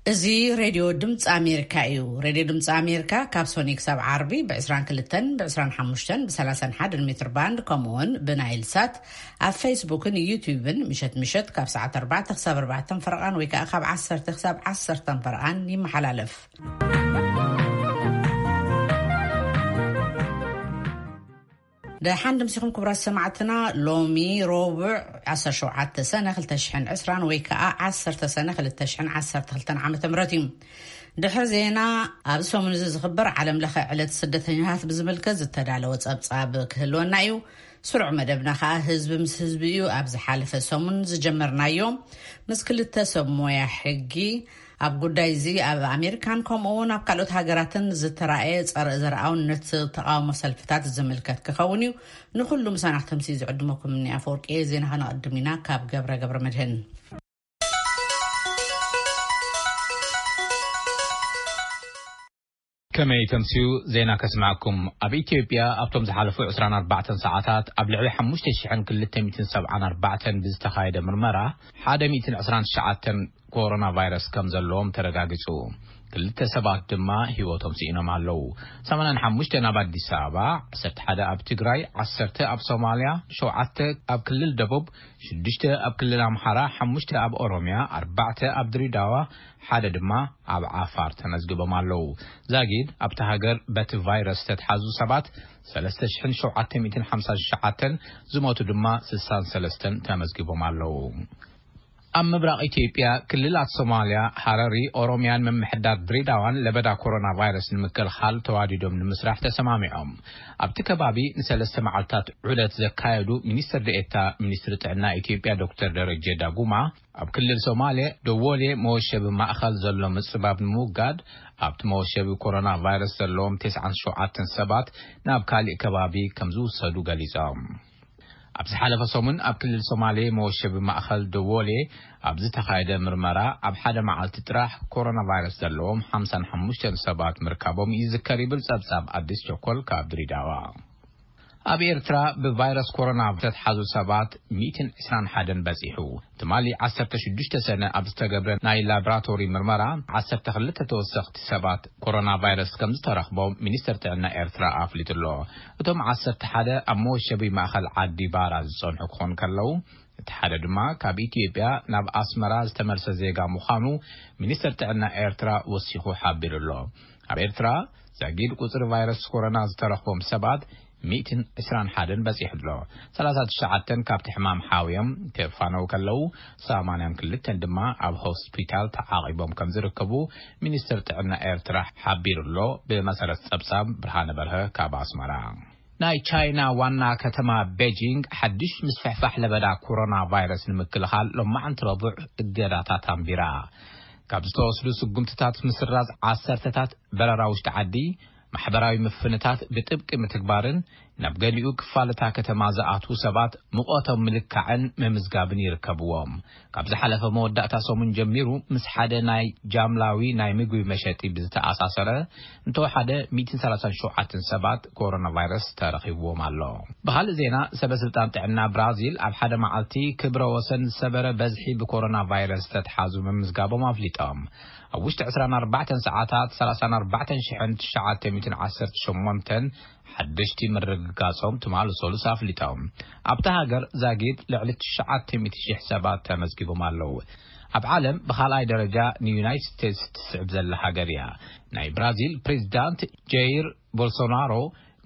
እዚ ሬድዮ ድምፂ ኣሜሪካ እዩ። ሬድዮ ድምፂ ኣሜሪካ ካብ ሶኒ ክሳብ ዓርቢ ብ22ን ብ25ን ብ31 ሜትር ባንድ፣ ከምኡውን ብናይል ሳት፣ ኣብ ፌስቡክን ዩቲዩብን ምሸት ምሸት ካብ ሰዓት ኣርባዕተ ክሳብ ኣርባዕተን ፈረቓን ወይ ከዓ ካብ ዓሰርተ ክሳብ ዓሰርተን ፈረቓን ይመሓላለፍ። ደሓን ድምሲኹም ክቡራት ሰማዕትና። ሎሚ ረቡዕ ዓሰርተ ሸውዓተ ሰነ ክልተ ሽሕን ዕስራን ወይ ከዓ ዓሰርተ ሰነ ክልተ ሽሕን ዓሰርተ ክልተን ዓመተ ምህረት እዩ። ድሕሪ ዜና፣ ኣብ ሰሙን እዚ ዝኽበር ዓለም ለኸ ዕለት ስደተኛታት ብዝምልከት ዝተዳለወ ጸብጻብ ክህልወና እዩ። ስሩዕ መደብና ከዓ ህዝቢ ምስ ህዝቢ እዩ። ኣብ ዝሓለፈ ሰሙን ዝጀመርናዮ ምስ ክልተ ሰብ ሞያ ሕጊ ኣብ ጉዳይ እዚ ኣብ ኣሜሪካን ከምኡ እውን ኣብ ካልኦት ሃገራትን ዝተራእየ ጸረ ዘርኣውነት ተቃውሞ ሰልፍታት ዝምልከት ክኸውን እዩ። ንኹሉ ምሳና ክተምሲ ዝዕድመኩም እኒ ኣፈወርቂ ዜና ከነቐድም ኢና። ካብ ገብረ ገብረ መድህን። ከመይ ተምስዩ ዜና ከስማዕኩም። ኣብ ኢትዮጵያ ኣብቶም ዝሓለፉ ዕስራን ኣርባዕተን ሰዓታት ኣብ ልዕሊ ሓሙሽተ ሽሕን ክልተ ሚእትን ሰብዓን ኣርባዕተን ብዝተኻየደ ምርመራ ሓደ ሚእትን ዕስራን ትሽዓተን ኮሮና ቫይረስ ከም ዘለዎም ተረጋጊጹ። ክልተ ሰባት ድማ ህይወቶም ስኢኖም ኣለዉ። ሰማንያን ሓሙሽተን ኣብ ኣዲስ ኣበባ፣ ዓሰርተ ሓደ ኣብ ትግራይ፣ ዓሰርተ ኣብ ሶማልያ፣ ሸውዓተ ኣብ ክልል ደቡብ፣ ሽዱሽተ ኣብ ክልል ኣምሓራ፣ ሓሙሽተ ኣብ ኦሮምያ፣ ኣርባዕተ ኣብ ድሬዳዋ፣ ሓደ ድማ ኣብ ዓፋር ተመዝግቦም ኣለዉ። ዛጊድ ኣብቲ ሃገር በቲ ቫይረስ ዝተትሓዙ ሰባት ሰለስተ ሽሕን ሸውዓተ ሚእትን ሓምሳን ትሽዓተን፣ ዝሞቱ ድማ ስሳን ሰለስተን ተመዝጊቦም ኣለዉ። ኣብ ምብራቕ ኢትዮጵያ ክልላት ሶማልያ፣ ሃረሪ፣ ኦሮምያን ምምሕዳር ድሬዳዋን ለበዳ ኮሮና ቫይረስ ንምክልኻል ተዋዲዶም ንምስራሕ ተሰማሚዖም። ኣብቲ ከባቢ ንሰለስተ መዓልታት ዑደት ዘካየዱ ሚኒስትር ዴኤታ ሚኒስትሪ ጥዕና ኢትዮጵያ ዶክተር ደረጀ ዳጉማ፣ ኣብ ክልል ሶማሌ ደወሌ መወሸቢ ማእኸል ዘሎ ምጽባብ ንምውጋድ፣ ኣብቲ መወሸቢ ኮሮና ቫይረስ ዘለዎም ተስዓን ሸውዓተን ሰባት ናብ ካሊእ ከባቢ ከም ዝውሰዱ ገሊጾም። ኣብ ዝሓለፈ ሰሙን ኣብ ክልል ሶማሌ መወሸቢ ማእኸል ደወሌ ኣብ ዝተኻየደ ምርመራ፣ ኣብ ሓደ መዓልቲ ጥራሕ ኮሮና ቫይረስ ዘለዎም ሓምሳን ሓሙሽተን ሰባት ምርካቦም ይዝከር ይብል ጸብጻብ ኣዲስ ቸኮል ካብ ድሬዳዋ። ኣብ ኤርትራ ብቫይረስ ኮሮና ዝተትሓዙ ሰባት ሚእትን ዕስራን ሓደን በጺሑ። ትማሊ ዓሰርተ ሽዱሽተ ሰነ ኣብ ዝተገብረ ናይ ላብራቶሪ ምርመራ፣ ዓሰርተ ክልተ ተወሰኽቲ ሰባት ኮሮና ቫይረስ ከም ዝተረኽቦም ሚኒስተር ጥዕና ኤርትራ ኣፍሊጡ ኣሎ። እቶም ዓሰርተ ሓደ ኣብ መወሸቢ ማእኸል ዓዲ ባራ ዝጸንሑ ክኾኑ ከለዉ፣ እቲ ሓደ ድማ ካብ ኢትዮጵያ ናብ ኣስመራ ዝተመልሰ ዜጋ ምዃኑ ሚኒስተር ጥዕና ኤርትራ ወሲኹ ሓቢሩ ኣሎ። ኣብ ኤርትራ ዛጊድ ቁጽሪ ቫይረስ ኮሮና ዝተረኽቦም ሰባት ሚእትን ዕስራን ሓደን በጺሑ ኣሎ። ሰላሳ ትሽዓተን ካብቲ ሕማም ሓውዮም ክፋነው ከለዉ፣ ሰማንያን ክልተን ድማ ኣብ ሆስፒታል ተዓቒቦም ከም ዝርከቡ ሚኒስተር ጥዕና ኤርትራ ሓቢሩ ኣሎ። ብመሰረት ጸብጻብ ብርሃነ በርሀ ካብ ኣስመራ። ናይ ቻይና ዋና ከተማ ቤጂንግ ሓድሽ ምስፍሕፋሕ ለበዳ ኮሮና ቫይረስ ንምክልኻል ሎማዕንቲ ረቡዕ እገዳታት ኣንቢራ። ካብ ዝተወስዱ ስጉምትታት ምስራዝ ዓሰርተታት በረራ ውሽጢ ዓዲ፣ ማሕበራዊ ምፍንታት ብጥብቂ ምትግባርን ናብ ገሊኡ ክፋል እታ ከተማ ዝኣትዉ ሰባት ሙቐቶም ምልካዕን ምምዝጋብን ይርከብዎም። ካብ ዝሓለፈ መወዳእታ ሰሙን ጀሚሩ ምስ ሓደ ናይ ጃምላዊ ናይ ምግቢ መሸጢ ብዝተኣሳሰረ እንተወሓደ ሚእትን ሰላሳን ሸውዓተን ሰባት ኮሮና ቫይረስ ተረኺብዎም ኣሎ። ብኻልእ ዜና፣ ሰበ ስልጣን ጥዕና ብራዚል ኣብ ሓደ መዓልቲ ክብረ ወሰን ዝሰበረ በዝሒ ብኮሮና ቫይረስ ዝተትሓዙ ምምዝጋቦም ኣፍሊጦም። ኣብ ውሽጢ ዕስራን ኣርባዕተን ሰዓታት ሰላሳን ኣርባዕተን ሽሕን ትሽዓተ ሚእትን ዓሰርተ ሸሞንተን ሓደሽቲ ምርግጋጾም ትማሊ ሰሉስ ኣፍሊጦም። ኣብታ ሃገር ዛጊድ ልዕሊ ትሽዓተ ሚእቲ ሽሕ ሰባት ተመዝጊቦም ኣለዉ። ኣብ ዓለም ብኻልኣይ ደረጃ ንዩናይትድ ስቴትስ ትስዕብ ዘላ ሃገር እያ። ናይ ብራዚል ፕሬዚዳንት ጀይር ቦልሶናሮ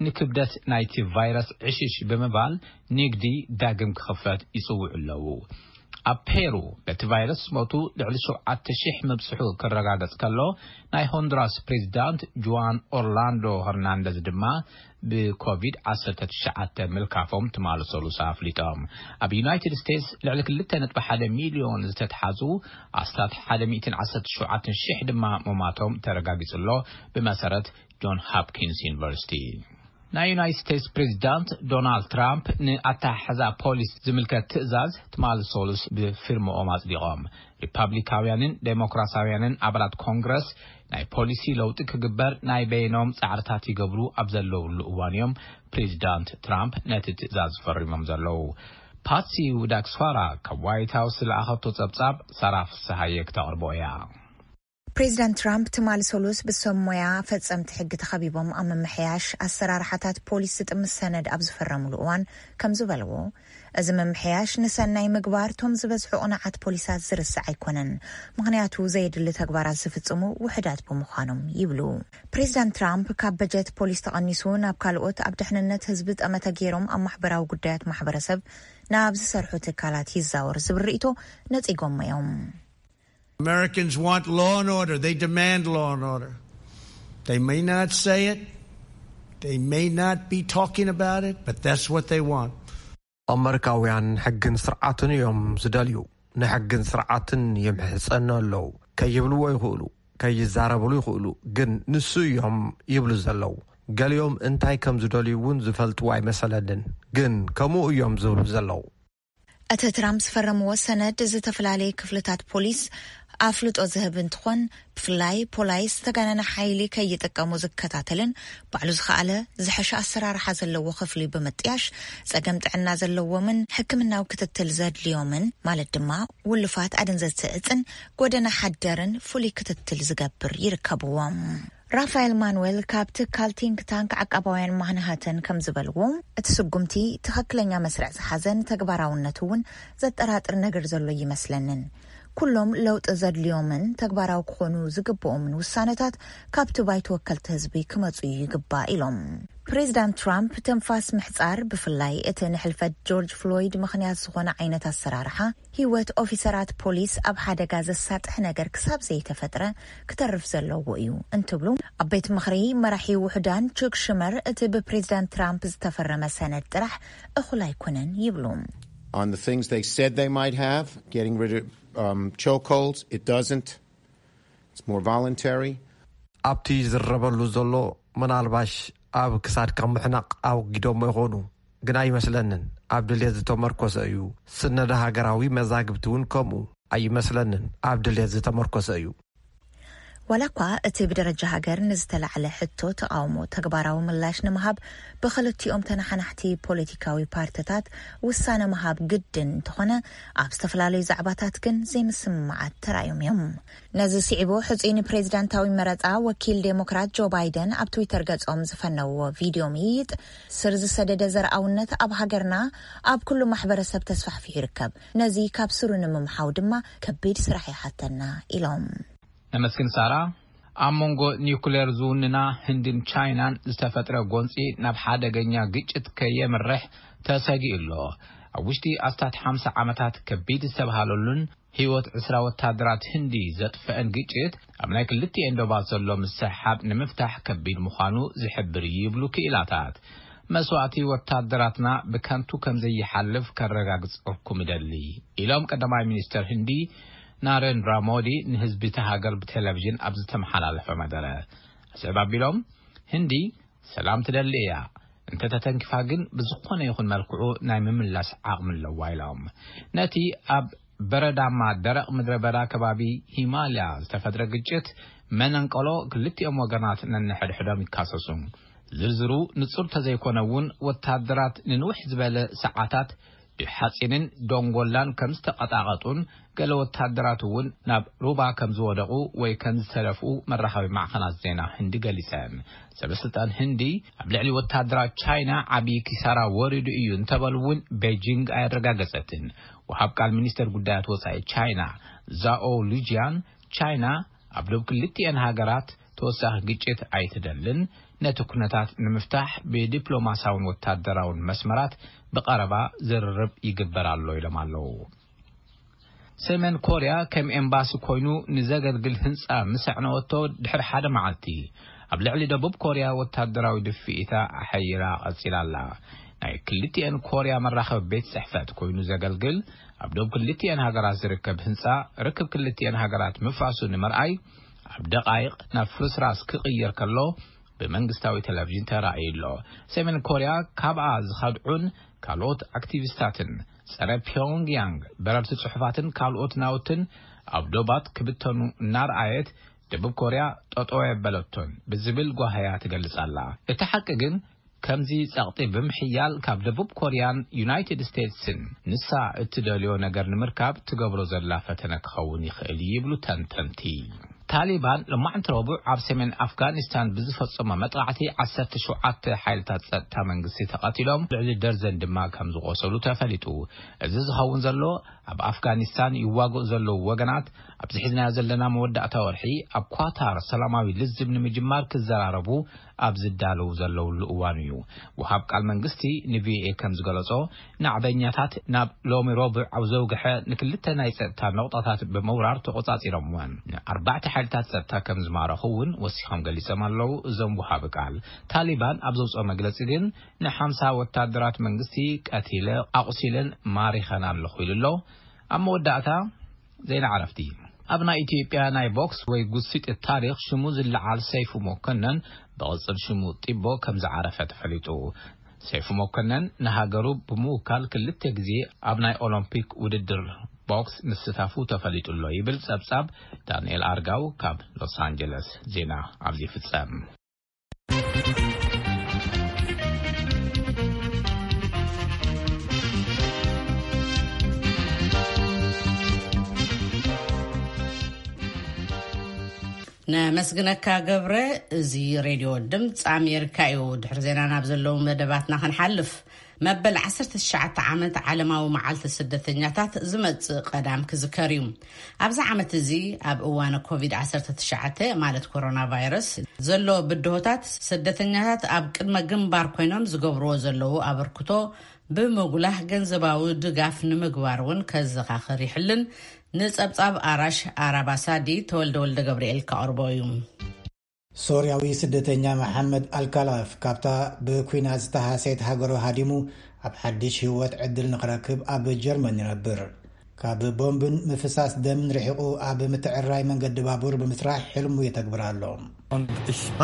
ንክብደት ናይቲ ቫይረስ ዕሽሽ ብምባል ንግዲ ዳግም ክኽፈት ይጽውዑ ኣለዉ። ኣብ ፔሩ በቲ ቫይረስ ዝሞቱ ልዕሊ ሸውዓተ ሽሕ ምብጽሑ ክረጋገጽ ከሎ፣ ናይ ሆንዱራስ ፕሬዚዳንት ጁዋን ኦርላንዶ ሄርናንደዝ ድማ ብኮቪድ ዓሰርተ ትሽዓተ ምልካፎም ትማሊ ሰሉሳ ኣፍሊጦም። ኣብ ዩናይትድ ስቴትስ ልዕሊ ክልተ ነጥቢ ሓደ ሚልዮን ዝተትሓዙ ኣስታት ሓደ ሚእትን ዓሰርተ ሸውዓተን ሽሕ ድማ ምማቶም ተረጋጊጹ ኣሎ፣ ብመሰረት ጆን ሃፕኪንስ ዩኒቨርሲቲ። ናይ ዩናይትድ ስቴትስ ፕሬዚዳንት ዶናልድ ትራምፕ ንኣተሓሕዛ ፖሊስ ዝምልከት ትእዛዝ ትማሊ ሰሉስ ብፊርምኦም ኣጽዲቖም። ሪፓብሊካውያንን ዴሞክራሲያውያንን ኣባላት ኮንግረስ ናይ ፖሊሲ ለውጢ ክግበር ናይ በይኖም ጻዕርታት ይገብሩ ኣብ ዘለውሉ እዋን እዮም ፕሬዚዳንት ትራምፕ ነቲ ትእዛዝ ፈሪሞም ዘለዉ። ፓትሲ ውዳክስዋራ ካብ ዋይት ሃውስ ዝለኣኸቶ ጸብጻብ ሳራ ፍስሃየ ክተቕርቦ እያ። ፕሬዚዳንት ትራምፕ ትማሊ ሰሉስ ብሰብ ሞያ ፈጸምቲ ሕጊ ተኸቢቦም ኣብ ምምሕያሽ ኣሰራርሓታት ፖሊስ ዝጥምት ሰነድ ኣብ ዝፈረሙሉ እዋን ከም ዝበልዎ፣ እዚ ምምሕያሽ ንሰናይ ምግባር ቶም ዝበዝሑ ቅኑዓት ፖሊሳት ዝርስዕ ኣይኮነን፣ ምኽንያቱ ዘየድሊ ተግባራት ዝፍጽሙ ውሑዳት ብምዃኖም ይብሉ። ፕሬዚዳንት ትራምፕ ካብ በጀት ፖሊስ ተቐኒሱ ናብ ካልኦት ኣብ ድሕንነት ህዝቢ ጠመተ ገይሮም ኣብ ማሕበራዊ ጉዳያት ማሕበረሰብ ናብ ዝሰርሑ ትካላት ይዛወር ዝብል ርእይቶ ነጺጎሞ እዮም። Americans want law and order. They demand law and order. They may not say it. They may not be talking about it, but that's what they want. ኣመሪካውያን ሕግን ስርዓትን እዮም ዝደልዩ። ንሕግን ስርዓትን ይምሕጸኑ ኣለዉ። ከይብልዎ ይኽእሉ፣ ከይዛረብሉ ይኽእሉ፣ ግን ንሱ እዮም ይብሉ ዘለዉ። ገሊኦም እንታይ ከም ዝደልዩ እውን ዝፈልጥዎ ኣይመሰለንን፣ ግን ከምኡ እዮም ዝብሉ ዘለዉ። እቲ ትራምፕ ዝፈረምዎ ሰነድ ዝተፈላለየ ክፍልታት ፖሊስ ኣፍልጦ ዝህብ እንትኾን፣ ብፍላይ ፖላይስ ዝተጋነነ ሓይሊ ከይጥቀሙ ዝከታተልን ባዕሉ ዝኸኣለ ዝሐሸ ኣሰራርሓ ዘለዎ ክፍሊ ብምጥያሽ ጸገም ጥዕና ዘለዎምን ሕክምናዊ ክትትል ዘድልዮምን ማለት ድማ ውልፋት ኣደንዘዝቲ እጽን ጎደና ሓደርን ፍሉይ ክትትል ዝገብር ይርከብዎም። ራፋኤል ማኑዌል ካብ ትካል ቲንክ ታንክ ዓቃባውያን ማንሃተን ከም ዝበልዎ፣ እቲ ስጉምቲ ትኽክለኛ መስርዕ ዝሓዘን ተግባራውነቱ እውን ዘጠራጥር ነገር ዘሎ ይመስለንን። ኩሎም ለውጢ ዘድልዮምን ተግባራዊ ክኾኑ ዝግብኦምን ውሳነታት ካብቲ ባይቶ ወከልቲ ህዝቢ ክመፁ ይግባእ ኢሎም። ፕሬዚዳንት ትራምፕ ትንፋስ ምሕፃር፣ ብፍላይ እቲ ንሕልፈት ጆርጅ ፍሎይድ ምኽንያት ዝኾነ ዓይነት ኣሰራርሓ፣ ህይወት ኦፊሰራት ፖሊስ ኣብ ሓደጋ ዘሳጥሕ ነገር ክሳብ ዘይተፈጥረ ክተርፍ ዘለዎ እዩ እንትብሉ፣ ኣብ ቤት ምኽሪ መራሒ ውሑዳን ቹክ ሽመር እቲ ብፕሬዚዳንት ትራምፕ ዝተፈረመ ሰነድ ጥራሕ እኹል ኣይኮነን ይብሉ። On the things they said they might have, getting rid of um, chokeholds, it doesn't. It's more voluntary. ኣብቲ ዝረበሉ ዘሎ፣ ምናልባሽ ኣብ ክሳድካ ምሕናቕ ኣወጊዶሞ ይኾኑ፣ ግን ኣይመስለንን ኣብ ድልየት ዝተመርኮሰ እዩ። ስነደ ሃገራዊ መዛግብቲ እውን ከምኡ ኣይመስለንን ኣብ ድልየት ዝተመርኮሰ እዩ። ዋላ እኳ እቲ ብደረጃ ሃገር ንዝተላዕለ ሕቶ ተቓውሞ ተግባራዊ ምላሽ ንምሃብ ብክልቲኦም ተነሓናሕቲ ፖለቲካዊ ፓርትታት ውሳነ ምሃብ ግድን እንተኾነ፣ ኣብ ዝተፈላለዩ ዛዕባታት ግን ዘይምስምማዓት ተራእዮም እዮም። ነዚ ስዒቡ ሕጹይ ንፕሬዚዳንታዊ መረጻ ወኪል ዴሞክራት ጆ ባይደን ኣብ ትዊተር ገጾም ዝፈነውዎ ቪድዮ ምይይጥ፣ ስር ዝሰደደ ዘርኣውነት ኣብ ሃገርና ኣብ ኩሉ ማሕበረሰብ ተስፋሕፊሑ ይርከብ። ነዚ ካብ ስሩ ንምምሓው ድማ ከቢድ ስራሕ ይሓተና ኢሎም። ነመስግን ሳራ። ኣብ መንጎ ኒውክሌር ዝውንና ህንድን ቻይናን ዝተፈጥረ ጎንፂ ናብ ሓደገኛ ግጭት ከየምርሕ ተሰጊኡ ኣሎ። ኣብ ውሽጢ ኣስታት ሓምሳ ዓመታት ከቢድ ዝተባሃለሉን ህይወት ዕስራ ወታደራት ህንዲ ዘጥፈአን ግጭት፣ ኣብ ናይ ክልቲኤን ዶባት ዘሎ ምስሕሓብ ንምፍታሕ ከቢድ ምዃኑ ዝሕብር እዩ ይብሉ ክኢላታት። መስዋእቲ ወታደራትና ብከንቱ ከም ዘይሓልፍ ከረጋግጸኩም እደሊ፣ ኢሎም ቀዳማይ ሚኒስተር ህንዲ ናሬንድራ ሞዲ ንህዝቢ እታ ሃገር ብቴሌቪዥን ኣብ ዝተመሓላለፈ መደረ። ኣስዕብ ኣቢሎም፣ ህንዲ ሰላም ትደሊ እያ፣ እንተተተንኪፋ ግን ብዝኾነ ይኹን መልክዑ ናይ ምምላስ ዓቕሚ ኣለዋ ኢሎም። ነቲ ኣብ በረዳማ ደረቕ ምድረ በዳ ከባቢ ሂማልያ ዝተፈጥረ ግጭት መነንቀሎ ክልቲኦም ወገናት ነንሕድሕዶም ይካሰሱ። ዝርዝሩ ንጹር ተዘይኮነ እውን፣ ወታደራት ንንውሕ ዝበለ ሰዓታት ብሓጺንን ዶንጎላን ከም ዝተቐጣቐጡን፣ ገለ ወታደራት እውን ናብ ሩባ ከም ዝወደቑ ወይ ከም ዝተደፍኡ መራኸቢ ማዕኸናት ዜና ህንዲ ገሊጸን። ሰበስልጣን ህንዲ ኣብ ልዕሊ ወታደራት ቻይና ዓብዪ ኪሳራ ወሪዱ እዩ እንተበሉ እውን፣ ቤጂንግ ኣየረጋገጸትን። ወሃብ ቃል ሚኒስተር ጉዳያት ወጻኢ ቻይና ዛኦ ሉጂያን፣ ቻይና ኣብ ዶብ ክልቲኤን ሃገራት ተወሳኺ ግጭት ኣይትደልን፣ ነቲ ኩነታት ንምፍታሕ ብዲፕሎማሳውን ወታደራውን መስመራት ብቐረባ ዝርርብ ይግበር ኣሎ ኢሎም ኣለዉ። ሰሜን ኮርያ ከም ኤምባሲ ኮይኑ ንዘገልግል ህንጻ ምስ ኣዕነወቶ ድሕሪ ሓደ መዓልቲ፣ ኣብ ልዕሊ ደቡብ ኮርያ ወታደራዊ ድፍኢታ ኣሐይላ ቀጺላ ኣላ። ናይ ክልቲኤን ኮርያ መራኸቢ ቤት ጽሕፈት ኮይኑ ዘገልግል፣ ኣብ ደቡብ ክልቲኤን ሃገራት ዝርከብ ህንጻ ርክብ ክልቲኤን ሃገራት ምፍራሱ ንምርኣይ ኣብ ደቓይቕ ናብ ፍርስራስ ክቕየር ከሎ ብመንግስታዊ ቴሌቪዥን ተራእዩ ኣሎ። ሰሜን ኮርያ ካብኣ ዝኸድዑን ካልኦት ኣክቲቪስታትን ጸረ ፒዮንግያንግ በረርቲ ጽሑፋትን ካልኦት ናውትን ኣብ ዶባት ክብተኑ እናረኣየት፣ ደቡብ ኮርያ ጠጠው የበለቶን ብዝብል ጓህያ ትገልጽ ኣላ። እቲ ሓቂ ግን ከምዚ ጸቕጢ ብምሕያል ካብ ደቡብ ኮርያን ዩናይትድ ስቴትስን ንሳ እትደልዮ ነገር ንምርካብ ትገብሮ ዘላ ፈተነ ክኸውን ይኽእል ይብሉ ተንተንቲ። ታሊባን ሎማዕንቲ ረቡዕ ኣብ ሰሜን ኣፍጋኒስታን ብዝፈጸሞ መጥቃዕቲ ዓሰርተ ሸውዓተ ሓይልታት ጸጥታ መንግስቲ ተቐቲሎም፣ ልዕሊ ደርዘን ድማ ከም ዝቖሰሉ ተፈሊጡ። እዚ ዝኸውን ዘሎ፣ ኣብ ኣፍጋኒስታን ይዋግኡ ዘለዉ ወገናት፣ ኣብዚ ሒዝናዮ ዘለና መወዳእታ ወርሒ ኣብ ኳታር ሰላማዊ ልዝብ ንምጅማር ክዘራረቡ ኣብ ዝዳለዉ ዘለውሉ እዋን እዩ። ወሃብ ቃል መንግስቲ ንቪኦኤ ከም ዝገለጾ፣ ናዕበኛታት ናብ ሎሚ ረቡዕ ኣብ ዘውግሐ ንክልተ ናይ ጸጥታ ነቑጣታት ብምውራር ተቖጻጺሮምወን። ኣርባዕተ ሓይልታት ጸጥታ ከም ዝማረኹ እውን ወሲኾም ገሊጾም ኣለዉ። እዞም ወሃቢ ቃል ታሊባን ኣብ ዘውጽኦ መግለጺ ግን፣ ንሓምሳ ወታደራት መንግስቲ ቀቲለ፣ ኣቑሲለን ማሪኸን ኣለኹ ኢሉ ኣሎ። ኣብ መወዳእታ ዜና ዕረፍቲ። ኣብ ናይ ኢትዮጵያ ናይ ቦክስ ወይ ጉሲጥ ታሪኽ ሽሙ ዝለዓል ሰይፉ መኮነን፣ ብቕጽል ሽሙ ጢቦ፣ ከም ዝዓረፈ ተፈሊጡ። ሰይፉ መኮነን ንሃገሩ ብምውካል ክልተ ግዜ ኣብ ናይ ኦሎምፒክ ውድድር ቦክስ ምስታፉ ተፈሊጡ ኣሎ ይብል ጸብጻብ ዳንኤል ኣርጋው ካብ ሎስ ኣንጀለስ። ዜና ኣብዚ ይፍጸም። ነመስግነካ ገብረ። እዚ ሬድዮ ድምፂ ኣሜሪካ እዩ። ድሕሪ ዜና ናብ ዘለዉ መደባትና ክንሓልፍ፣ መበል ዓሰርተ ትሽዓተ ዓመት ዓለማዊ መዓልቲ ስደተኛታት ዝመጽእ ቀዳም ክዝከር እዩ። ኣብዚ ዓመት እዚ፣ ኣብ እዋን ኮቪድ ዓሰርተ ትሽዓተ፣ ማለት ኮሮና ቫይረስ፣ ዘሎ ብድሆታት፣ ስደተኛታት ኣብ ቅድመ ግንባር ኮይኖም ዝገብርዎ ዘለዉ ኣበርክቶ ብምጉላህ ገንዘባዊ ድጋፍ ንምግባር እውን ከዘኻኽር ይሕልን። ንጸብጻብ ኣራሽ ኣራባሳዲ ተወልደ ወልደ ገብርኤል ከቕርቦ እዩ። ሶርያዊ ስደተኛ መሓመድ ኣልካላፍ ካብታ ብኲናት ዝተሃሰየት ሃገሩ ሃዲሙ ኣብ ሓድሽ ህይወት ዕድል ንኽረክብ ኣብ ጀርመን ይነብር። ካብ ቦምብን ምፍሳስ ደምን ርሒቑ ኣብ ምትዕርራይ መንገዲ ባቡር ብምስራሕ ሕልሙ የተግብር ኣሎ።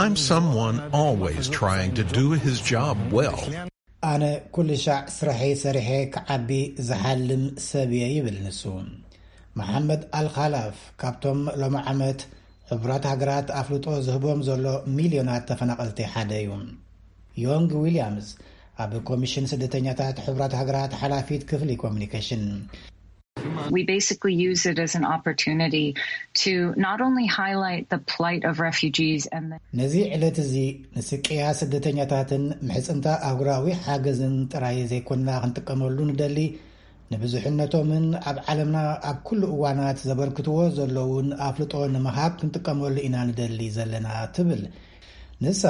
I'm someone always trying to do his job well. ኣነ ኩሉ ሻዕ ስራሐይ ሰሪሐ ክዓቢ ዝሓልም ሰብ እየ ይብል ንሱ። መሓመድ ኣልኻላፍ ካብቶም ሎሚ ዓመት ሕቡራት ሃገራት ኣፍልጦ ዝህቦም ዘሎ ሚልዮናት ተፈናቐልቲ ሓደ እዩ። ዮንግ ዊልያምስ ኣብ ኮሚሽን ስደተኛታት ሕቡራት ሃገራት ሓላፊት ክፍሊ ኮሚኒኬሽን። We basically use it as an opportunity to not only highlight the plight of refugees and the ነዚ ዕለት እዚ ንስቅያ ስደተኛታትን ምሕጽንታ ኣህጉራዊ ሓገዝን ጥራይ ዘይኮንና ክንጥቀመሉ ንደሊ፣ ንብዙሕነቶምን ኣብ ዓለምና ኣብ ኩሉ እዋናት ዘበርክትዎ ዘለውን ኣፍልጦ ንምሃብ ክንጥቀመሉ ኢና ንደሊ ዘለና ትብል። ንሳ፣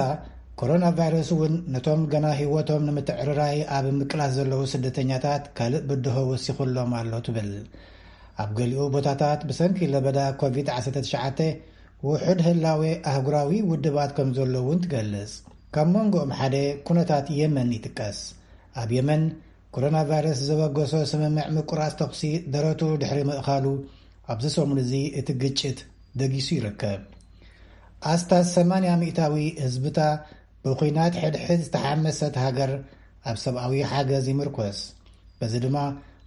ኮሮና ቫይረስ እውን ነቶም ገና ህይወቶም ንምትዕርራይ ኣብ ምቅላስ ዘለዉ ስደተኛታት ካልእ ብድሆ ወሲኹሎም ኣሎ ትብል። ኣብ ገሊኡ ቦታታት ብሰንኪ ለበዳ ኮቪድ ዓሰርተ ትሽዓተ ውሑድ ህላዌ ኣህጉራዊ ውድባት ከም ዘሎ እውን ትገልጽ። ካብ መንጎኦም ሓደ ኩነታት የመን ይጥቀስ። ኣብ የመን፣ ኮሮና ቫይረስ ዘበገሶ ስምምዕ ምቁራጽ ተኹሲ ደረቱ ድሕሪ ምእኻሉ፣ ኣብዚ ሰሙን እዚ እቲ ግጭት ደጊሱ ይርከብ። ኣስታት ሰማንያ ሚእታዊ ህዝብታ ብኲናት ሕድሕድ ዝተሓመሰት ሃገር ኣብ ሰብኣዊ ሓገዝ ይምርኮስ። በዚ ድማ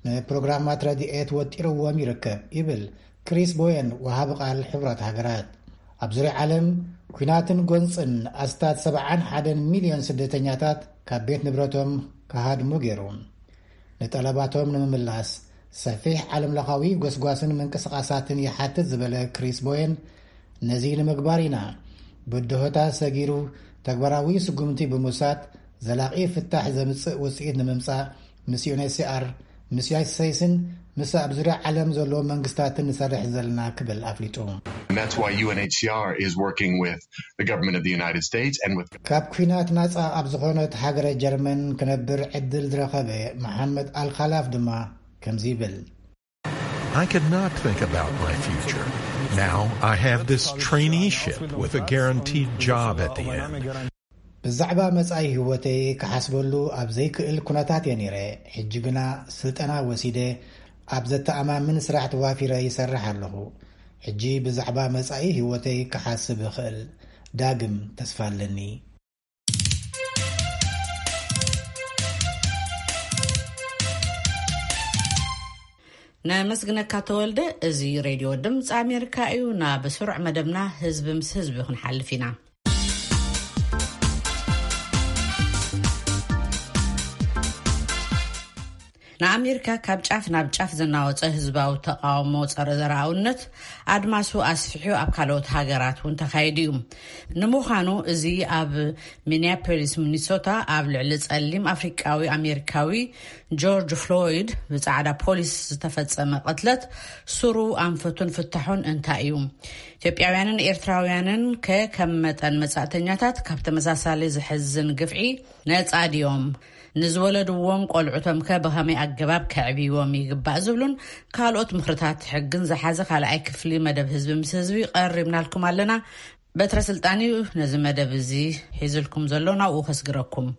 ንፕሮግራማት ረድኤት ወጢርዎም ይርከብ፣ ይብል ክሪስ ቦየን፣ ወሃቢ ቃል ሕቡራት ሃገራት። ኣብ ዙርያ ዓለም፣ ኲናትን ጎንጽን ኣስታት ሰብዓን ሓደን ሚልዮን ስደተኛታት ካብ ቤት ንብረቶም ክሃድሙ ገይሩ። ንጠለባቶም ንምምላስ ሰፊሕ ዓለምለኻዊ ጎስጓስን ምንቅስቓሳትን ይሓትት ዝበለ ክሪስ ቦየን፣ ነዚ ንምግባር ኢና ብድሆታት ሰጊሩ ተግባራዊ ስጉምቲ ብምውሳድ ዘላቒ ፍታሕ ዘምጽእ ውጽኢት ንምምጻእ ምስ ዩ ኤን ኤች ሲ ኣር፣ ምስ ዩናይትድ ስቴትስን ምስ ኣብ ዙርያ ዓለም ዘለዉ መንግስታትን ንሰርሕ ዘለና ክብል ኣፍሊጡ። And that's why U N H C R is working with the government of the United States and with ካብ ኲናት ናጻ ኣብ ዝኾነት ሃገረ ጀርመን ክነብር ዕድል ዝረኸበ መሓመድ ኣልኻላፍ ድማ ከምዚ ይብል። I could not think about my future. Now I have this traineeship with a guaranteed job at the end. ብዛዕባ መጻኢ ህይወተይ ክሓስበሉ ኣብ ዘይክእል ኩነታት እየ ነይረ። ሕጂ ግና ስልጠና ወሲደ ኣብ ዘተኣማምን ስራሕ ተዋፊረ ይሰርሕ ኣለኹ። ሕጂ ብዛዕባ መጻኢ ህይወተይ ክሓስብ እኽእል። ዳግም ተስፋ ኣለኒ። ነመስግነካ ተወልደ። እዚ ሬድዮ ድምፂ ኣሜሪካ እዩ። ናብ ስሩዕ መደብና ህዝቢ ምስ ህዝቢ ክንሓልፍ ኢና። ንኣሜሪካ ካብ ጫፍ ናብ ጫፍ ዘናወጸ ህዝባዊ ተቓውሞ ጸረ ዘርኣውነት ኣድማሱ ኣስፊሑ ኣብ ካልኦት ሃገራት እውን ተኻይዱ እዩ። ንምዃኑ እዚ ኣብ ሚኒያፖሊስ ሚኒሶታ ኣብ ልዕሊ ጸሊም ኣፍሪቃዊ ኣሜሪካዊ ጆርጅ ፍሎይድ ብጻዕዳ ፖሊስ ዝተፈጸመ ቅትለት ሱሩ ኣንፈቱን ፍታሑን እንታይ እዩ? ኢትዮጵያውያንን ኤርትራውያንን ከ ከም መጠን መጻእተኛታት ካብ ተመሳሳሊ ዝሕዝን ግፍዒ ነጻ ድዮም? ንዝወለድዎም ቆልዑቶም ከ ብኸመይ ኣገባብ ከዕብይዎም ይግባእ ዝብሉን ካልኦት ምኽርታት ሕግን ዝሓዘ ካልኣይ ክፍሊ መደብ ህዝቢ ምስ ህዝቢ ቀሪብናልኩም ኣለና። በትረ ስልጣን እዩ ነዚ መደብ እዚ ሒዝልኩም ዘሎ፣ ናብኡ ከስግረኩም።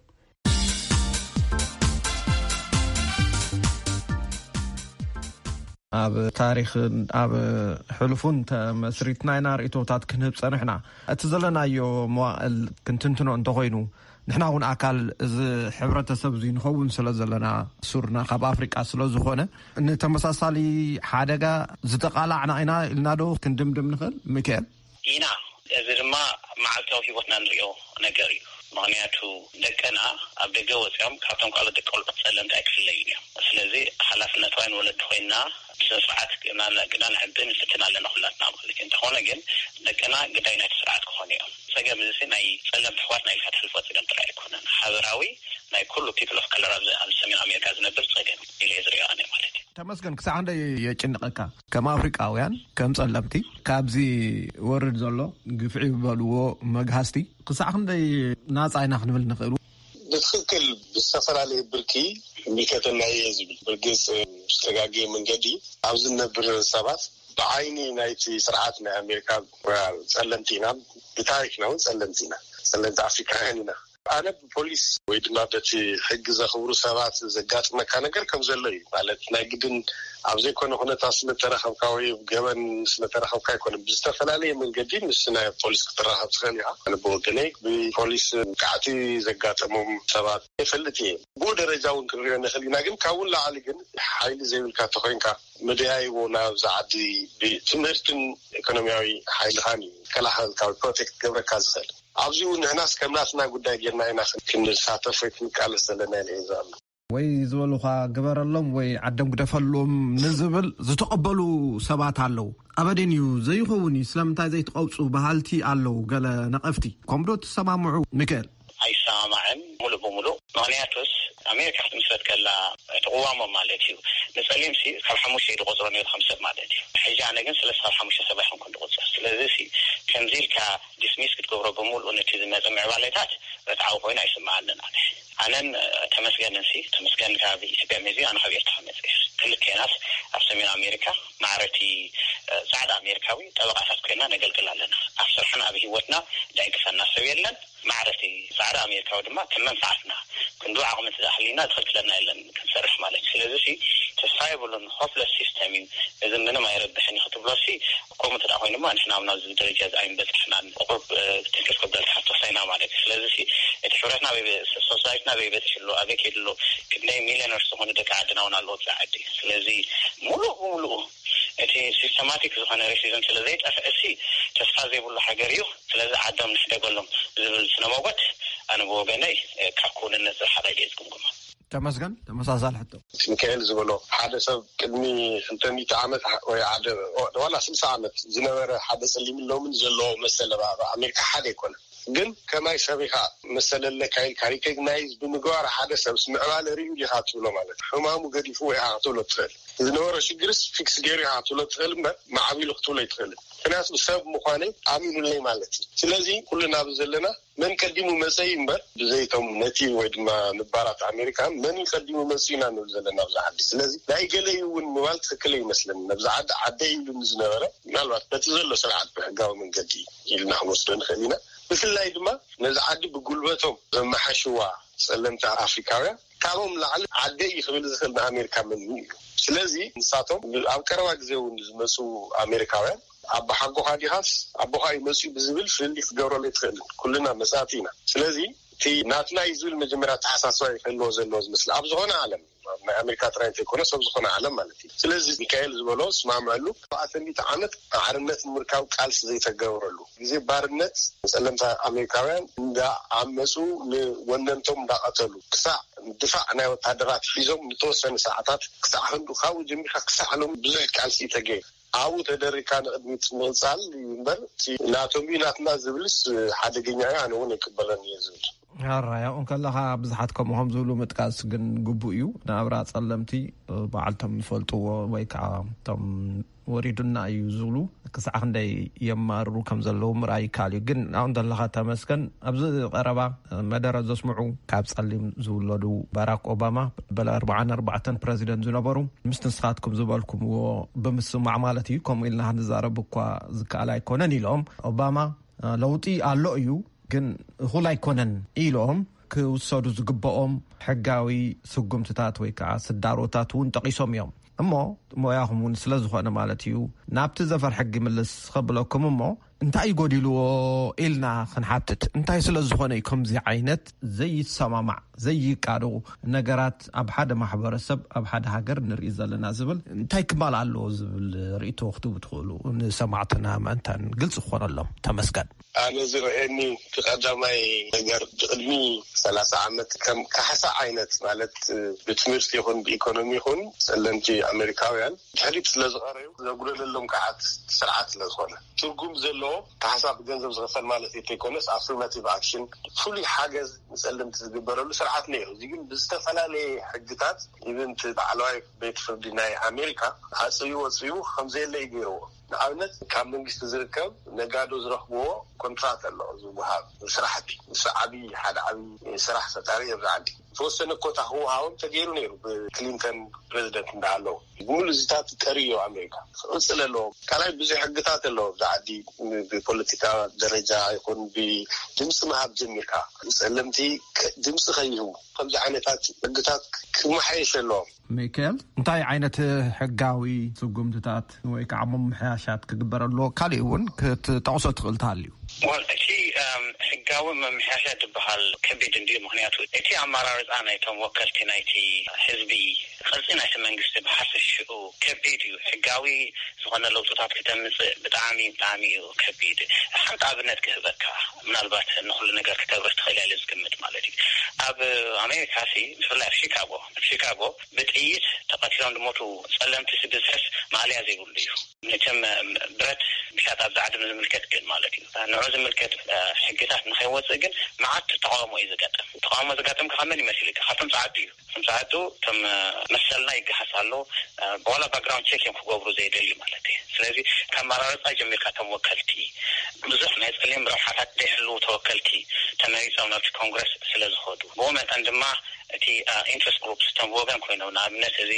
ኣብ ታሪኽን ኣብ ሕሉፉን ተመስሪትና ኢና ርእይቶታት ክንህብ ጸንሕና። እቲ ዘለናዮ መዋእል ክንትንትኖ እንተኾይኑ፣ ንሕና እውን ኣካል እዚ ሕብረተሰብ እዚ ንኸውን ስለ ዘለና፣ ሱርና ካብ ኣፍሪቃ ስለ ዝኾነ፣ ንተመሳሳሊ ሓደጋ ዝተቓላዕና ኢና ኢልና ዶ ክንድምድም ንኽእል? ሚካኤል? ኢና። እዚ ድማ መዓልታዊ ህይወትና ንሪኦ ነገር እዩ። ምኽንያቱ ደቅና ኣብ ደገ ወፂኦም ካብቶም ካልኦት ደቂ ቆልዑት ጸለምቲ ኣይክፍለዩን እዮም። ስለዚ ሓላፍነት ዋይን ወለዲ ኮይና ብስነ ስርዓት ግና ግና ንዕብን ንፍትን ኣለና ኩላትና ማለት እዩ። እንተኾነ ግን ደቅና ግዳይ ናይቲ ስርዓት ክኾኑ እዮም። ጸገም እዚ ናይ ጸለምቲ ኣሕዋትና ኢልካ ትሕልፎ ጸገም ጥራይ ኣይኮነን። ሓበራዊ ናይ ኩሉ people of color ኣብዚ ኣብ ሰሜን ኣሜሪካ ዝነብር ጸገም ኢለ ዝሪኦ ኣነ ማለት እዩ። ተመስገን፣ ክሳዕ ክንደይ የጭንቐካ? ከም ኣፍሪቃውያን፣ ከም ጸለምቲ፣ ካብዚ ወርድ ዘሎ ግፍዒ ዝበልዎ መግሃስቲ ክሳዕ ክንደይ ናጻ ኢና ክንብል ንኽእሉ? ብትኽክል ብዝተፈላለየ ብርኪ ይምልከተና እየ ዝብል። ብርግጽ ብዝተጋገየ መንገዲ ኣብዚ ንነብር ሰባት ብዓይኒ ናይቲ ስርዓት ናይ ኣሜሪካ ጸለምቲ ኢና፣ ብታሪክና እውን ጸለምቲ ኢና፣ ጸለምቲ ኣፍሪካውያን ኢና። ኣነ ብፖሊስ ወይ ድማ በቲ ሕጊ ዘኽብሩ ሰባት ዘጋጥመካ ነገር ከም ዘሎ እዩ። ማለት ናይ ግድን ኣብ ዘይኮነ ኩነታት ስለተረኸብካ ወይ ገበን ስለተረኸብካ ኣይኮነን። ብዝተፈላለየ መንገዲ ምስ ናይ ፖሊስ ክትራኸብ ትኽእል ኢኻ። ኣነ ብወገነይ ብፖሊስ መጥቃዕቲ ዘጋጠሞም ሰባት ይፈልጥ እየ። ብኡ ደረጃ እውን ክንሪኦ ንኽእል ኢና። ግን ካብኡ ንላዕሊ ግን ሓይሊ ዘይብልካ ተኾይንካ መደያይቦ ናብዛ ዓዲ ብትምህርትን ኢኮኖሚያዊ ሓይልኻን እዩ ከላኸልካ ወይ ፕሮቴክት ክገብረካ ዝኽእል። ኣብዚኡ ንሕናስ ከም ናትና ጉዳይ ጌርና ኢና ክንሳተፍ ወይ ክንቃለስ ዘለና ኢለ እየ ዝኣምን። ወይ ዝበሉኻ ግበረሎም ወይ ዓዶም ግደፈሎም ንዝብል ዝተቐበሉ ሰባት ኣለዉ። ኣበደን እዩ ዘይኸውን እዩ፣ ስለምንታይ ዘይትቐውፁ በሃልቲ ኣለዉ ገለ ነቐፍቲ። ከምዶ ትሰማምዑ? ሚካኤል? ኣይሰማማዕን ሙሉእ ብሙሉእ። ምኽንያቱስ ኣሜሪካ ክትምስረት ከላ እቲ ቅዋሞም ማለት እዩ፣ ንፀሊምሲ ካብ ሓሙሽተ እዩ ዝቆፅሮ ነይሩ ከም ሰብ ማለት እዩ። ሕጂ ኣነ ግን ሰለስተ ካብ ሓሙሽተ ሰብ ኣይኮንኩን ዝቁፀር። ስለዚ ሲ ከምዚ ኢልካ ዲስሚስ ክትገብሮ ብሙሉእ ነቲ ዝመፀ ምዕባለታት ርትዓዊ ኮይኑ ኣይስምዓንን ኣነ። ኣነን ተመስገንን ሲ፣ ተመስገን ካብ ኢትዮጵያ መዚ ኣነ ካብ ኤርትራ መፅእ። ክልቴናስ ኣብ ሰሜን ኣሜሪካ ማዕረቲ ፃዕዳ ኣሜሪካዊ ጠበቃታት ኮይና ነገልግል ኣለና። ኣብ ስራሕና ኣብ ህይወትና ደዕግፈና ሰብ የለን። ማዕረቲ ፃዕዳ ኣሜሪካዊ ድማ ከም መንፋዓትና ክንዱ ዓቕሚ እንተዝኣህሊና ዝኽልክለና የለን ክንሰርሕ ማለት እዩ። ስለዚ ሲ ተስፋ የብሉን፣ ሆፕለስ ሲስተም እዩ፣ እዚ ምንም ኣይረብሕን እዩ ክትብሎ ሲ ከምኡ እንተ ደኣ ኮይኑ ድማ ንሕና እውን ኣብዚ ደረጃ እዚ ኣይምበጻሕናን። ቁሩብ ትንክፍ ከብደልካ ክትወስዳ ኢና ማለት እዩ። ስለዚ ሲ እቲ ሕብረትና ኣበይ በ-፣ ሶሳይትና ኣበይ በጺሑ ኣሎ፣ ኣበይ ከይዱ ኣሎ፣ ክንደይ ሚልዮነርስ ዝኾኑ ደቂ ዓድና እውን ኣለዉ ኣብዛ ዓዲ። ስለዚ ሙሉእ ብሙሉኡ እቲ ሲስተማቲክ ዝኾነ ሬሲዝም ስለ ዘይጠፍእ ሲ ተስፋ ዘይብሉ ሃገር እዩ። ስለዚ ዓዶም ንሕደገሎም ዝብል ስነመጎት ኣነ ብወገነይ ካብ ክውንነት ዝረሓቐ ኢለ ዝግምግሞ። ተመስገን፣ ተመሳሳሊ ሕቶ። እቲ ሚካኤል ዝበሎ ሓደ ሰብ ቅድሚ ክልተ ሚእቲ ዓመት ወይ ሓደ ዋላ ስልሳ ዓመት ዝነበረ ሓደ ጸሊምን ሎምን ዘለዎ መሰል ኣብ ኣሜሪካ ሓደ ኣይኮነን። ግን ከማይ ሰብ ኢኻ መሰል ኣለካ ኢልካ ሪኮግናይዝ ብምግባር ሓደ ሰብስ ምዕባለ ርእዩ ዲኻ ትብሎ ማለት እዩ። ሕማሙ ገዲፍዎ ኢኻ ክትብሎ ትኽእል። ዝነበሮ ሽግርስ ፊክስ ገይሩ ኢኻ ክትብሎ ትኽእል እምበር ማዕቢሉ ክትብሎ ኣይትኽእልን። ምክንያቱ ሰብ ምዃነይ ኣሚኑለይ ማለት እዩ። ስለዚ ኩልና ኣብዚ ዘለና መን ቀዲሙ መጸ እዩ እምበር ብዘይቶም ነቲቭ ወይ ድማ ነባራት ኣሜሪካ መን እዩ ቀዲሙ መጺኡ ኢና ንብል ዘለና ኣብዚ ዓዲ። ስለዚ ናይ ገለ እዩ እውን ምባል ትኽክል ኣይመስለንን። ኣብዚ ዓዲ ዓደይ ኢሉ ንዝነበረ ምናልባት በቲ ዘሎ ስርዓት ብሕጋዊ መንገዲ ኢልና ክንወስዶ ንኽእል ኢና። ብፍላይ ድማ ነዚ ዓዲ ብጉልበቶም ዘመሓሽዋ ጸለምቲ ኣፍሪካውያን ካብኦም ላዕሊ ዓደይ እዩ ክብል ዝኽእል ንኣሜሪካ መን እዩ። ስለዚ ንሳቶም ኣብ ቀረባ ግዜ እውን ዝመፁ ኣሜሪካውያን ኣቦሓጎኻ ዲኻስ ኣቦኻ እዩ መፅኡ ብዝብል ፍልልይ ክትገብረሉ ኣይትኽእልን። ኩልና መፃእቲ ኢና። ስለዚ እቲ ናትና እዩ ዝብል መጀመርያ ኣተሓሳስባ እዩ ክህልዎ ዘለዎ ዝመስል ኣብ ዝኾነ ዓለም። ናይ ኣሜሪካ ጥራይ እንተይኮነ፣ ሰብ ዝኾነ ዓለም ማለት እዩ። ስለዚ ሚካኤል ዝበሎ ስማምዐሉ። ኣርባዕተ ሚእቲ ዓመት ሓርነት ንምርካብ ቃልሲ ዘይተገበረሉ፣ ግዜ ባርነት ጸለምቲ ኣሜሪካውያን እንዳዓመጹ፣ ንወነንቶም እንዳቐተሉ፣ ክሳዕ ድፋዕ ናይ ወታደራት ሒዞም ንተወሰነ ሰዓታት፣ ክሳዕ ክንዱ፣ ካብኡ ጀሚርካ ክሳዕ ሎም ብዙሕ ቃልሲ ተገይሩ። ኣብኡ ተደሪካ ንቕድሚት ምቕጻል እዩ እምበር፣ እቲ ናቶም እዩ ናትና ዝብልስ ሓደገኛ እዩ፣ ኣነ እውን ኣይቅበለን እየ ዝብል። ሕራይ ኣብኡ ከለኻ ብዙሓት ከምኡ ከም ዝብሉ ምጥቃስ ግን ግቡእ እዩ። ናብራ ጸለምቲ በዓልቶም ዝፈልጥዎ ወይ ከዓ እቶም ወሪዱና እዩ ዝብሉ ክሳዕ ክንደይ የማርሩ ከም ዘለዉ ምርኣይ ይከኣል እዩ። ግን ኣብኡ ዘለኻ ተመስገን ኣብዚ ቀረባ መደረ ዘስምዑ ካብ ጸሊም ዝውለዱ ባራክ ኦባማ በለ ኣርባዓን ኣርባዕተን ፕረዚደንት ዝነበሩ ምስ ንስኻትኩም ዝበልኩምዎ ብምስማዕ ማለት እዩ። ከምኡ ኢልና ክንዛረብ እኳ ዝከኣል ኣይኮነን ኢሎም ኦባማ ለውጢ ኣሎ እዩ ግን እኹል ኣይኮነን ኢሎም ክውሰዱ ዝግብኦም ሕጋዊ ስጉምትታት ወይ ከዓ ስዳሮታት እውን ጠቒሶም እዮም። እሞ ሞያኹም እውን ስለ ዝኾነ ማለት እዩ ናብቲ ዘፈር ሕጊ ምልስ ከብለኩም እሞ እንታይ ይጎዲልዎ ኢልና ክንሓትት እንታይ ስለ ዝኾነ እዩ ከምዚ ዓይነት ዘይሰማማዕ ዘይቃዶ ነገራት ኣብ ሓደ ማሕበረሰብ ኣብ ሓደ ሃገር ንርኢ ዘለና ዝብል እንታይ ክማል ኣለዎ ዝብል ርእቶ ክትቡ ትኽእሉ ንሰማዕትና ምእንታን ግልፂ ክኾነሎም። ተመስገን። ኣነ ዝረአየኒ እቲ ቀዳማይ ነገር ብቅድሚ ሰላሳ ዓመት ከም ካሕሳ ዓይነት ማለት ብትምህርቲ ይኹን ብኢኮኖሚ ይኹን ጸለምቲ ኣሜሪካውያን ድሕሪት ስለ ዝቐረዩ ዘጉደለሎም ከዓት ስርዓት ስለ ዝኾነ ትርጉም ዘለዎ ካሕሳ ብገንዘብ ዝኸፈል ማለት እንተይኮነስ ኣፍርማቲቭ ኣክሽን ፍሉይ ሓገዝ ንጸለምቲ ዝግበረሉ ስርዓት ነይሩ። እዚ ግን ብዝተፈላለየ ሕግታት ኢቨን እቲ ላዕለዋይ ቤት ፍርዲ ናይ ኣሜሪካ ኣጽዩ ወጽዩ ከምዘየለ እዩ ገይርዎ። ንኣብነት ካብ መንግስቲ ዝርከብ ነጋዶ ዝረኽብዎ ኮንትራት ኣሎ ዝወሃብ ስራሕቲ ንሱ ዓብዪ ሓደ ዓብዪ ስራሕ ፈጣሪ እዮም ዝዓዲ ዝተወሰነ ኮታ ክወሃቦም ተገይሩ ነይሩ ብክሊንተን ፕሬዚደንት እንዳሃለዉ ብምሉ እዚታት ቀርዮ ኣሜሪካ ክቕፅል ኣለዎም ካልኣይ ብዙሕ ሕግታት ኣለዎ ብዚ ዓዲ ብፖለቲካ ደረጃ ይኹን ብድምፂ ምሃብ ጀሚርካ ፀለምቲ ድምፂ ከይህቡ ከምዚ ዓይነታት ሕግታት ክመሓየሽ ኣለዎም። ሚካኤል እንታይ ዓይነት ሕጋዊ ስጉምትታት ወይ ከዓ ምምሕያሻት ክግበር ኣለዎ? ካሊእ እውን ክትጠቕሶ ትኽእል ተሃልዩ። ወል እቲ ሕጋዊ ምምሕያሻት ዝበሃል ከቢድ እንድዩ። ምክንያቱ እቲ ኣመራርፃ ናይቶም ወከልቲ ናይቲ ህዝቢ ቅርፂ ናይቲ መንግስቲ ብሓፈሽኡ ከቢድ እዩ። ሕጋዊ ዝኾነ ለውጥታት ክተምፅእ ብጣዕሚ ብጣዕሚ እዩ ከቢድ። ሓንቲ ኣብነት ክህበካ ምናልባት ንኩሉ ነገር ክተብርህ ትኽእል እያ ዝግምት ማለት እዩ። ኣብ ኣሜሪካ ሲ ብፍላይ ኣብ ሺካጎ ኣብ ሺካጎ ብጥይት ተቐቲሎም ዝሞቱ ጸለምቲ ስብዝሕስ ማእለያ ዘይብሉ እዩ። መቸም ብረት ምሻጥ ኣብዚ ዓዲ ንዝምልከት ግን ማለት እዩ ንዑ ዝምልከት ሕግታት ንኸይወፅእ ግን መዓት ተቃውሞ እዩ ዝጋጥም። ተቃውሞ ዝጋጥም ካብ መን ይመስል ካብቶም ጸዓዱ እዩ። እቶም ጸዓዱ እቶም መሰልና ይገሃስ ኣሎ ብዋላ ባክግራውንድ ቸክ እዮም ክገብሩ ዘይደልዩ ማለት እዩ። ስለዚ ካብ መራረፃ ጀሚርካ እቶም ወከልቲ ብዙሕ ናይ ፀሊም ረብሓታት ዘይሕልዉ ተወከልቲ ተመሪፆም ናብቲ ኮንግረስ ስለ ዝኸዱ ብኡ መጠን ድማ እቲ ኢንትረስት ግሩፕስ እቶም ብወገን ኮይኖም ንኣብነት እዚ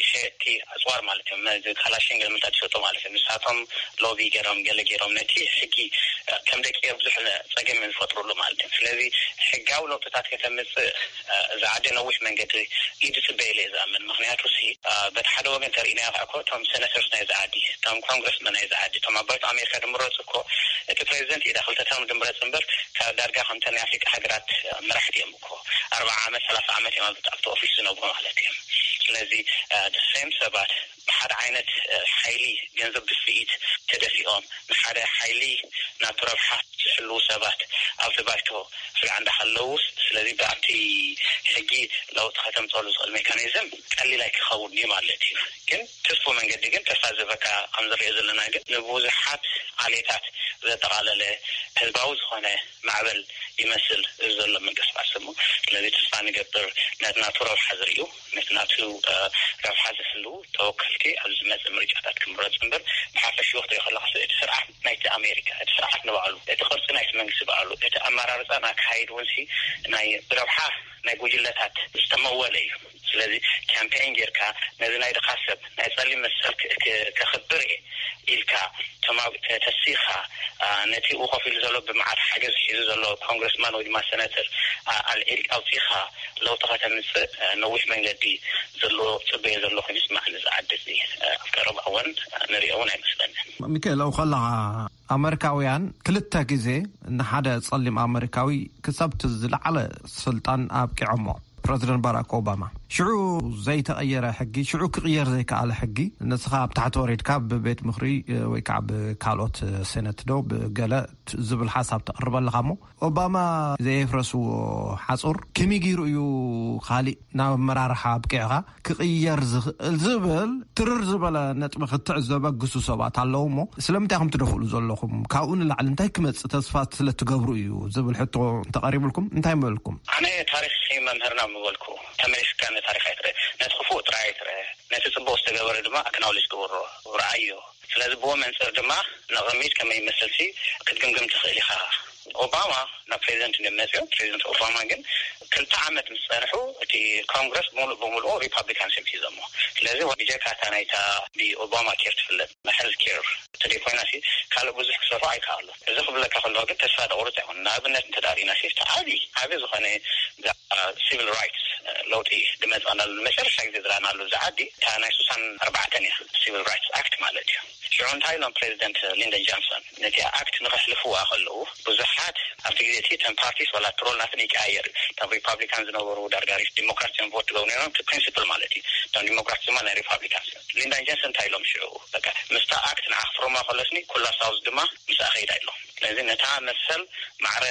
ሸየጥቲ ኣፅዋር ማለት እዮም እዚ ካላሽን ገለመንታት ዝሸጡ ማለት እዮም ንሳቶም ሎቢ ገይሮም ገለ ገይሮም ነቲ ሕጊ ከም ደቂ ብዙሕ ፀገም እዮም ዝፈጥሩሉ ማለት እዮም። ስለዚ ሕጋዊ ለውጥታት ከተምፅእ እዚ ዓዲ ነዊሕ መንገዲ እዩ ዝፅበየሉ እየ ዝኣምን። ምክንያቱ ሲ በቲ ሓደ ወገን ተርእናዮ ከዓ እኮ እቶም ሴነተርስ ናይ ዝዓዲ እቶም ኮንግረስመን ናይ ዝዓዲ እቶም ኣባይት ኣሜሪካ ድምረፁ እኮ እቲ ፕሬዚደንት ኢዳ ክልተ ተርም ድምረፅ እምበር ካብ ዳርጋ ከምተ ናይ ኣፍሪቃ ሃገራት መራሕቲ እዮም እኮ ኣርባዓ ዓመት ሰላሳ ዓመት እዮም ኣብቲ ኦፊስ ዝነብሩ ማለት እዮም። ስለዚ ሴም ሰባት ብሓደ ዓይነት ሓይሊ ገንዘብ ድፍኢት ተደፊኦም ንሓደ ሓይሊ ናቱ ረብሓ ዝሕልዉ ሰባት ኣብቲ ባይቶ ስጋዕ እንዳሃለውስ ስለዚ ብኣቲ ሕጊ ለውጢ ከተምፀሉ ዝኽእል ሜካኒዝም ቀሊል ኣይክኸውን እዩ ማለት እዩ። ግን ትስፉ መንገዲ ግን ተስፋ ዝበካ ከም ዝሪኦ ዘለና ግን ንብዙሓት ዓሌታት ዘጠቓለለ ህዝባዊ ዝኾነ ማዕበል ይመስል እዚ ዘሎ ምንቅስቃስ እሞ ስለዚ ተስፋ ንገብር ነቲ ናቱ ረብሓ ዝርእዩ ነቲ ናቱ ረብሓ ዝሕልዉ ተወከልቲ ኣብ ዝመፅእ ምርጫታት ክምረፁ እምበር ብሓፈሽኡ ክትሪኦ ከለካ እቲ ስርዓት ናይቲ ኣሜሪካ እቲ ስርዓት ንባዕሉ እቲ ቅርፂ ናይቲ መንግስቲ ባዕሉ እቲ ኣመራርፃን ኣካይድ እውን ናይ ብረብሓ ናይ ጉጅለታት ዝተመወለ እዩ። ስለዚ ካምፔን ጌርካ ነዚ ናይ ድኻ ሰብ ናይ ፀሊም መሰል ከኽብር እየ ኢልካ ተማዊተ ተሲኻ ነቲ ኡ ኮፍ ኢሉ ዘሎ ብመዓት ሓገዝ ሒዙ ዘሎ ኮንግረስማን ወይ ድማ ሰነተር ኣልዒል ኣውፂኻ ለውጢ ከተምፅእ ነዊሕ መንገዲ ዘሎ ፅበየ ዘሎ ኮይኑ ስማዕ ንዝዓዲ እዚ ኣብ ቀረባ እዋን ንሪኦ እውን ኣይመስለንን። ሚካኤል ኣብኡ ከለኻ ኣመሪካውያን ክልተ ግዜ ንሓደ ጸሊም ኣመሪካዊ ክሳብቲ ዝለዓለ ስልጣን ኣብቂዖሞ። ፕረዚደንት ባራክ ኦባማ ሽዑ ዘይተቐየረ ሕጊ፣ ሽዑ ክቕየር ዘይከኣለ ሕጊ፣ ንስኻ ኣብ ታሕቲ ወሪድካ ብቤት ምኽሪ ወይ ከዓ ብካልኦት ሴነት ዶ ብገለ ዝብል ሓሳብ ተቕርበልኻ እሞ፣ ኦባማ ዘየፍረስዎ ሓጹር ከመይ ገይሩ እዩ ካሊእ ናብ ኣመራርሓ ኣብቂዕኻ ክቕየር ዝኽእል ዝብል ትርር ዝበለ ነጥቢ ክትዕዘ በግሱ ሰባት ኣለዉ እሞ፣ ስለምንታይ ኢኹም ትደፍእሉ ዘለኹም? ካብኡ ንላዕሊ እንታይ ክመጽእ ተስፋ ስለ ትገብሩ እዩ ዝብል ሕቶ እንተቐሪብልኩም እንታይ ምበልኩም? ኣነ ታሪኽ መምህርና ምበልኩ፣ ተመሊስካ ነታሪኽ ኣይትረ፣ ነቲ ክፉእ ጥራይ ኣይትረ፣ ነቲ ጽቡቕ ዝተገበረ ድማ ኣክናውሌጅ ግበሮ፣ ረኣዮ። ስለዚ ብዎ መንጽር ድማ ንቕድሚት ከመይ ይመስልሲ ክትግምግም ትኽእል ኢኻ። ኦባማ ናብ ፕሬዚደንት እዮም መጽዮም። ፕሬዚደንት ኦባማ ግን ክልተ ዓመት ምስ ጸንሑ እቲ ኮንግረስ ሙሉእ ብሙሉኡ ሪፓብሊካንስ እዮም ሒዞሞ። ስለዚ ብጀካ እታ ናይታ ብኦባማ ኬር ትፍለጥ ሄልት ኬር ተደይኮይናሲ ካልእ ብዙሕ ክሰርሑ ኣይከኣሉ። እዚ ክብለካ ከለኹ ግን ተስፋ ደቑርጽ ኣይኮነ። ንኣብነት እንተ ዳሪእናሲ እቲ ዓቢ ዓቢ ዝኾነ ሲቪል ራይትስ ለውጢ ድመጽናሉ መጨረሻ ግዜ ዝረኣናሉ እዚ ዓዲ እታ ናይ ስሳን ኣርባዕተን እያ፣ ሲቪል ራይትስ ኣክት ማለት እዩ። ሽዑ እንታይ ኢሎም ፕሬዚደንት ሊንደን ጃንሰን ነቲ ኣክት ንኸሕልፍዋ ከለዉ ብዙሓት ኣብቲ ግዜ እቲ ተን ፓርቲስ ዋላ ትሮል ናትን ይቀያየር እዩ። እቶም ሪፓብሊካን ዝነበሩ ዳርጋሪት ዲሞክራት እዮም ቮት ትገብሩ ነይሮም፣ እቲ ፕሪንሲፕል ማለት እዩ። እቶም ዲሞክራት ድማ ናይ ሪፓብሊካን እዮም። ሊንደን ጃንሰን እንታይ ኢሎም ሽዑ በቃ ምስታ ኣክት ንዓ ክፍርማ ከለስኒ ኩላ ሳውዝ ድማ ምስኣ ኸይዳ ኢሎም። ስለዚ ነታ መሰል ማዕረ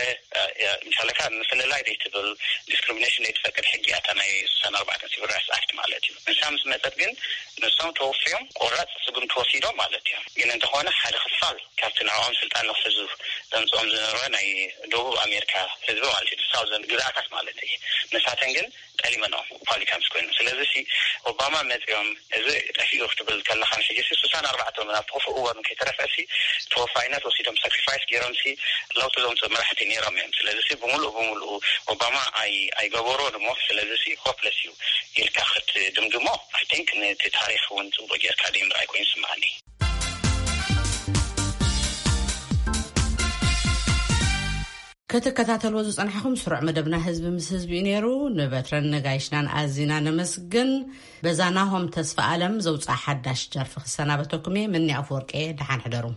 ምሻለካ ምፍልላይ ዘይትብል ዲስክሪሚኔሽን ዘይትፈቅድ ሕጊ እያ እታ ናይ ስሳን ኣርባዕተን ሲቪል ራይትስ ኣክት ማለት እዩ። ንሳ ምስ መፀት ግን ንሶም ተወፍዮም ቆራፅ ስጉምቲ ወሲዶም ማለት እዮም። ግን እንተኾነ ሓደ ክፋል ካብቲ ንዕኦም ስልጣን ንክሕዙ ዘምፅኦም ዝነበረ ናይ ደቡብ ኣሜሪካ ህዝቢ ማለት እዩ ሳውዘን ግዝኣታት ማለት እዩ። ንሳተን ግን ጠሊመንኦም ሪፓብሊካንስ ኮይኑ። ስለዚ ሲ ኦባማ መፅኦም እዚ ጠፊኡ ክትብል ከለኻ ንሕጂ ሲ ስሳን ኣርባዕተ ናብቲ ክፉእ እዋኑ ከይተረፈ ሲ ተወፋይነት ወሲዶም ሳክሪፋይስ ገይሮም ሲ ለውጢ ዘምፅኡ መራሕቲ ነይሮም እዮም። ስለዚ ሲ ብምሉእ ብምሉእ ኦባማ ኣይ ኣይገበሮን እሞ ስለዚ ሲ ሆፕለስ እዩ ኢልካ ክትድምድሞ ኣይ ቲንክ ነቲ ታሪክ እውን ፅቡቅ ጌርካ ደይ ምርኣይ ኮይኑ ይስምዓኒ። ክትከታተልዎ ዝጸናሕኹም ስሩዕ መደብና ህዝቢ ምስ ህዝቢ እዩ ነይሩ። ንበትረን ነጋይሽናን ኣዚና ነመስግን። በዛ ናሆም ተስፋ ኣለም ዘውፅኣ ሓዳሽ ደርፊ ክሰናበተኩም እየ። ምኒ ኣፍወርቂ እየ። ደሓን ሕደሩ።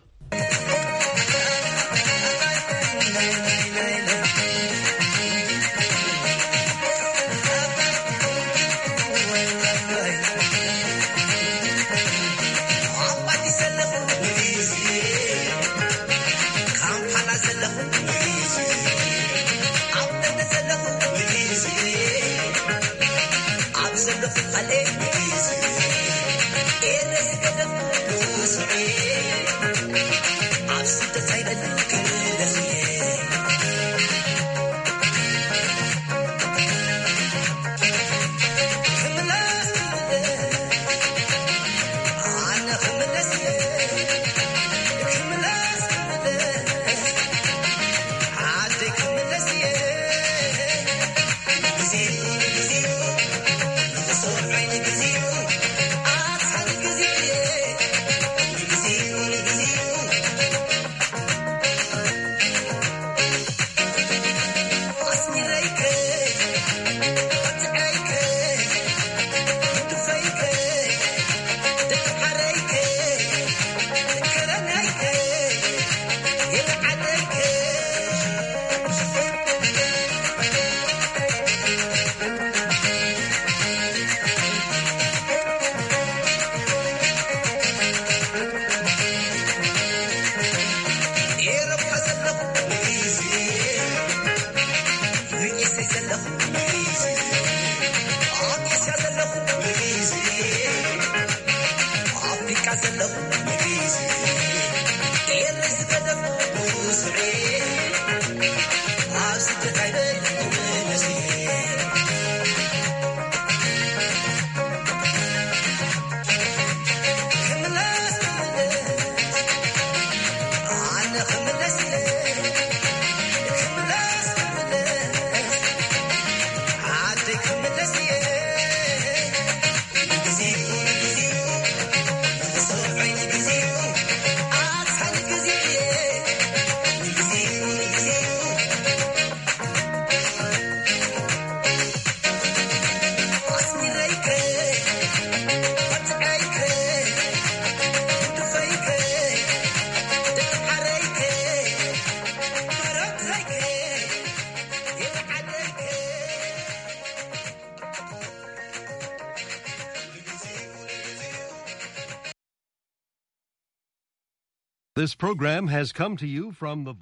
This program has come to you from the